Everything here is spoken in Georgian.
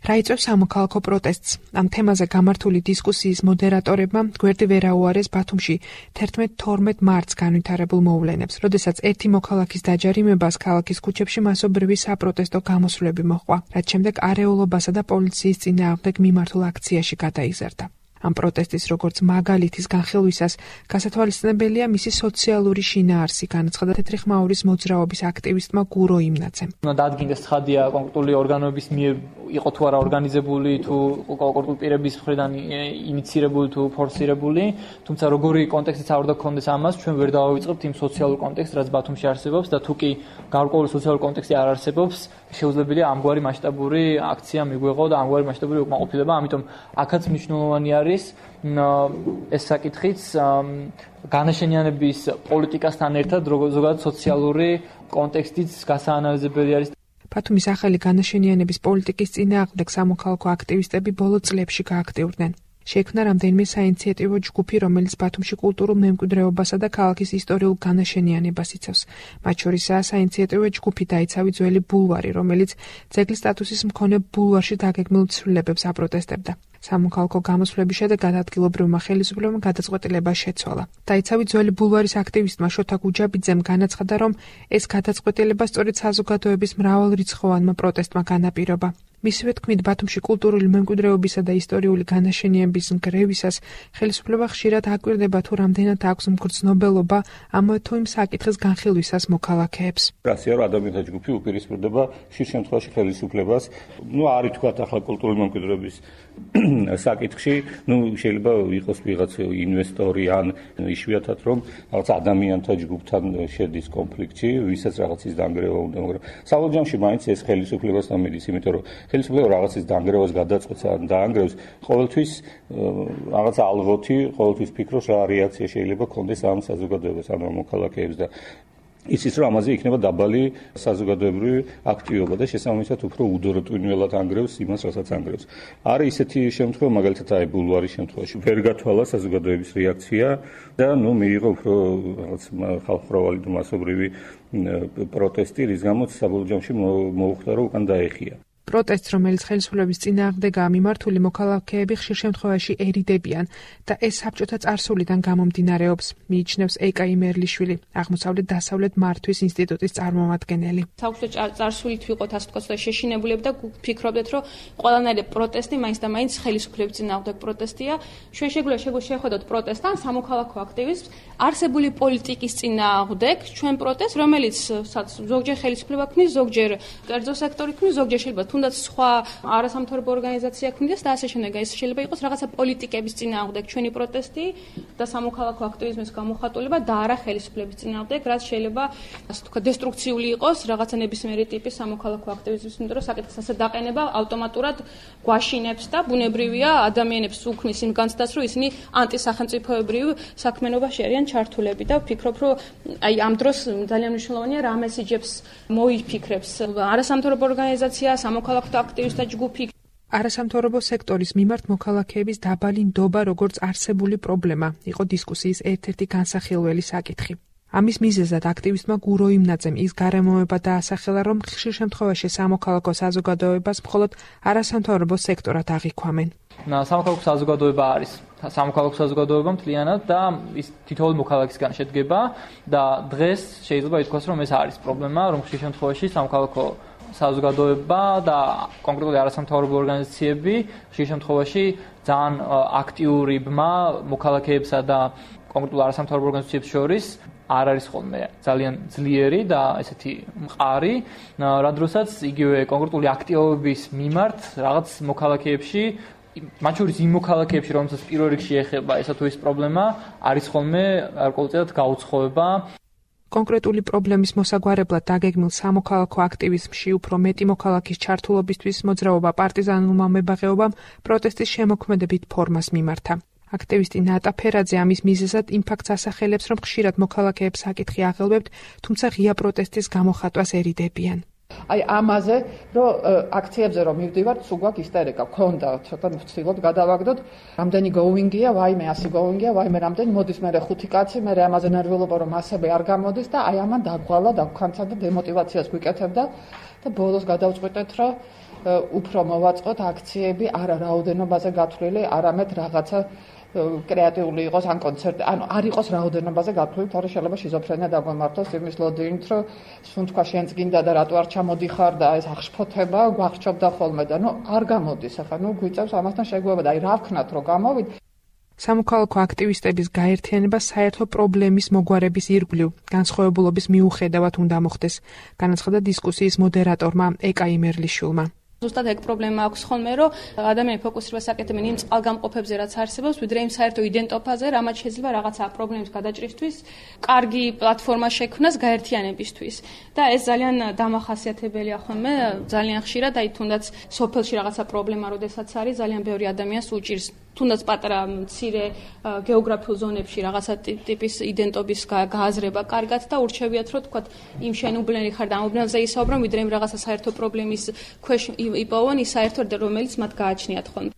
რა იწვევს სამოქალაქო პროტესტს? ამ თემაზე გამართული დისკუსიის მოდერატორებმა გვერდი ვერ აუარეს ბათუმში 11-12 მარტს განვითარებულ მოვლენებს, როდესაც ერთი მოქალაქის დაჯარიმებას ქალაქის ქუჩებში მასობრივი საპროტესტო გამოსვლები მოჰყვა, რაც შემდეგ არეულობასა და პოლიციის წინააღმდეგ მიმართულ აქციაში გადაიზარდა. ამ პროტესტის როგორც მაგალითის განხილვისას გასათვალისწინებელია მისი სოციალური შინაარსი, განაცხადა თეთრი ხმაურის მოძრაობის აქტივისტმა გურო იმნაძემ. დადგინდეს ცხადია კონკრეტული ორგანოების მიერ იყო თუ არა ორგანიზებული, თუ კონკრეტული პირების მხრიდან ინიცირებული თუ ფორსირებული, თუმცა როგორი კონტექსტიც არ უნდა გქონდეს ამას, ჩვენ ვერ დავავიწყებთ იმ სოციალურ კონტექსტს, რაც ბათუმში არსებობს და თუ კი გარკვეული სოციალური კონტექსტი არ არსებობს, შეუძლებელია ამგვარი მასშტაბური აქცია მიგვეღო და ამგვარი მასშტაბური უკმაყოფილება, ამიტომ აქაც მნიშვნელოვანი არის ეს საკითხიც განაშენიანების პოლიტიკასთან ერთად ზოგადად სოციალური კონტექსტიც გასაანალიზებელი არის. ბათუმის ახალი განაშენიანების პოლიტიკის წინააღმდეგ სამოქალაქო აქტივისტები ბოლო წლებში გააქტიურდნენ. შეიქმნა რამდენიმე საინიციატივო ჯგუფი, რომელიც ბათუმში კულტურულ მემკვიდრეობასა და ქალაქის ისტორიულ განაშენიანებას იცავს. მათ შორისაა საინიციატივო ჯგუფი „დაიცავი ძველი ბულვარი“, რომელიც ძეგლის სტატუსის მქონე ბულვარში დაგეგმილ ცვლილებებს აპროტესტებდა. სამოქალაქო გამოსვლების შედეგად ადგილობრივმა ხელისუფლებამ გადაწყვეტილება შეცვალა. დაიცავი ძველი ბულვარის აქტივისტმა შოთა გუჯაბიძემ განაცხადა, რომ ეს გადაწყვეტილება სწორედ საზოგადოების მრავალრიცხოვანმა პროტესტმა განაპირობა. მისივე თქმით, ბათუმში კულტურული მემკვიდრეობისა და ისტორიული განაშენიანების ნგრევისას ხელისუფლება ხშირად აკვირდება, თუ რამდენად აქვს მგრძნობელობა ამავე თუ იმ საკითხის განხილვისას მოქალაქეებს. რასია, რომ ადამიანთა ჯგუფი უპირისპირდება ხშირ შემთხვევაში ხელისუფლებას, არ ითქვათ ახლა კულტურული მემკვიდრეობის საკითხში, შეიძლება იყოს ვიღაც ინვესტორი ან იშვიათად რომ რაღაც ადამიანთა ჯგუფთან შედის კონფლიქტში, ვისაც რაღაცის დანგრევა უნდა, მაგრამ საბოლოო ჯამში მაინც ეს ხელისუფლებასთან მიდის, იმიტომ რომ ხელისუფლება რაღაცის დანგრევას გადაწყვეტს ან დაანგრევს, ყოველთვის რაღაც ალღოთი, ყოველთვის ფიქრობს რა რეაქცია შეიძლება ქონდეს ამ საზოგადოებას, ან მოქალაქეებს და იცის რომ ამაზე იქნება დაბალი საზოგადოებრივი აქტივობა და შესაბამისად უფრო უდოროტვინველად ანგრევს იმას, რასაც ანგრევს. არის ისეთი შემთხვევა, მაგალითად აი ბულვარის შემთხვევაში ვერ გათვალა საზოგადოების რეაქცია და მიიღო უფრო რაღაც ხალხმრავალი და მასობრივი პროტესტი, რის გამოც საბოლოო ჯამში მოუხდა რომ უკან დაეხია. პროტესტს, რომელიც ხელისუფლების წინააღმდეგაა მიმართული, მოქალაქეები ხშირ შემთხვევაში ერიდებიან და ეს საბჭოთა წარსულიდან გამომდინარეობს, მიიჩნევს ეკა იმერლიშვილი, აღმოსავლეთ-დასავლეთ მართვის ინსტიტუტის წარმომადგენელი. საბჭოთა წარსულით ვიყოთ ასე ვთქვათ და შეშინებულები და ფიქრობდეთ, რომ ყველანაირი პროტესტი მაინც და მაინც ხელისუფლების წინააღმდეგ პროტესტია. ჩვენ შეხვედოთ პროტესტთან, სამოქალაქო აქტივისტს, არსებული პოლიტიკის წინააღმდეგ, ჩვენ პროტესტს, რომელიც ზოგჯერ ხელისუფლება ქმნის, ზოგჯერ კერძო სექტორი ქმნის, ზოგჯერ შეიძლება თუნდაც სხვა არასამთავრობო ორგანიზაცია ქმნიდეს და ასე შემდეგ. ეს შეიძლება იყოს რაღაცა პოლიტიკების წინააღმდეგ ჩვენი პროტესტი და სამოქალაქო აქტივიზმის გამოხატულება და არა ხელისუფლების წინააღმდეგ, რაც შეიძლება ასე ვთქვათ დესტრუქციული იყოს რაღაცა ნებისმიერი ტიპის სამოქალაქო აქტივიზმის, იმიტომ რომ საკითხის ასე დაყენება ავტომატურად გვაშინებს და ბუნებრივია ადამიანებს უქმნის იმ განცდას, რომ ისინი ანტისახელმწიფოებრივ საქმიანობაში არიან ჩართულები და ვფიქრობ, რომ აი ამ დროს ძალიან მნიშვნელოვანია რა მესიჯებს მოიფიქრებს არასამთავრობო ორგანიზაცია, სამოქალაქო აქტივისტთა ჯგუფი. არასამთავრობო სექტორის მიმართ მოქალაქეების დაბალი ნდობა როგორც არსებული პრობლემა იყო დისკუსიის ერთ-ერთი განსახილველი საკითხი. ამის მიზეზად აქტივისტმა გურო იმნაძემ ის გარემოება დაასახელა, რომ ხშირ შემთხვევაში სამოქალაქო საზოგადოებას მხოლოდ არასამთავრობო სექტორად აღიქვამენ. სამოქალაქო საზოგადოება არის სამოქალაქო საზოგადოება მთლიანად და ის თითოეული მოქალაქისგან შედგება და დღეს შეიძლება ითქვას, რომ ეს არის პრობლემა, რომ ხშირ შემთხვევაში სამოქალაქო საზოგადოება და კონკრეტული არასამთავრობო ორგანიზაციები ხშირ შემთხვევაში ძალიან აქტიური ბმა მოქალაქეებსა და კონკრეტულ არასამთავრობო ორგანიზაციებს შორის არ არის ხოლმე ძალიან ძლიერი და ესეთი მყარი, რადგანაც იგივე კონკრეტული აქტივობების მიმართ რაღაც მოქალაქეებში, მათ შორის იმ მოქალაქეებში, რომელსაც პირველ რიგში ეხება ესა თუ ის პრობლემა, არის ხოლმე გარკვეულწილად გაუცხოება. კონკრეტული პრობლემის მოსაგვარებლად დაგეგმილ სამოქალაქო აქტივიზმში უფრო მეტი მოქალაქის ჩართულობისთვის მოძრაობა პარტიზანულმა მებაღეობამ პროტესტის შემოქმედებით ფორმას მიმართა. აქტივისტი ნატა ფერაძე ამის მიზეზად იმ ფაქტს ასახელებს, რომ ხშირად მოქალაქეებს საკითხი აღელვებთ, თუმცა ღია პროტესტის გამოხატვას ერიდებიან. აი ამაზე, რომ აქციებზე რომ მივდივართ, სულ გვაქვს ისტერიკა, გქონდა ცოტა ვცდილობთ გადავაგდოთ, რამდენი going-ია, ვაიმე 100 going-ია, ვაიმე რამდენი მოდის მე 5 კაცი, მე ამაზე ნერვიულობა რომ მასები არ გამოდის და აი ამან დაგვალა, დავქანცა და დემოტივაციას გვიკეთებდა და ბოლოს გადავწყვიტეთ, რომ უფრო მოვაწყოთ აქციები არა რაოდენობაზე გათვლილი, არამედ რაღაცა კრეატიული იყოს ან კონცერტი, ანუ არ იყოს რაოდენობაზე გათვლილი, თორე შეიძლება შიზოფრენია დაგვემართოს იმის ლოდინით, რომ სულ თქვა შენც გინდა და რატო არ ჩამოდიხარ და ეს აღშფოთება გვახშობდა ხოლმე და არ გამოდის, ახლა გვიწევს ამასთან შეგუება და რა ვქნათ რომ გამოვიდ. სამოქალაქო აქტივისტების გაერთიანება საერთო პრობლემის მოგვარების ირგვლივ განსხვავებულობის მიუხედავად უნდა მოხდეს, განაცხადა დისკუსიის მოდერატორმა ეკა იმერლიშვილმა. ზუსტად ეგ პრობლემა აქვს ხოლმე, რომ ადამიანები ფოკუსირებას აკეთებენ იმ წყალგამყოფებზე, რაც არსებობს, ვიდრე იმ საერთო იდენტოფაზე, რამაც შეიძლება რაღაცა პრობლემის გადაჭრისთვის, კარგი პლატფორმა შექმნას გაერთიანებისთვის. და ეს ძალიან დამახასიათებელია ხოლმე, ძალიან ხშირად, აი თუნდაც სოფელში რაღაცა პრობლემა, როდესაც არის, ძალიან ბევრი ადამიანს უჭირს თუნდაც პატარა მცირე გეოგრაფიულ ზონებში რაღაცა ტიპის იდენტობის გააზრება კარგად და ურჩევიათ, რომ თქვათ იმ შენუბნელი ხარ და ამ უბნელზე ისაუბრონ, ვიდრე იმ რაღაცა საერთო პრობლემის ქვეშ იპოვონ ის საერთო, რომელიც მათ გააჩნიათ ხოლმე.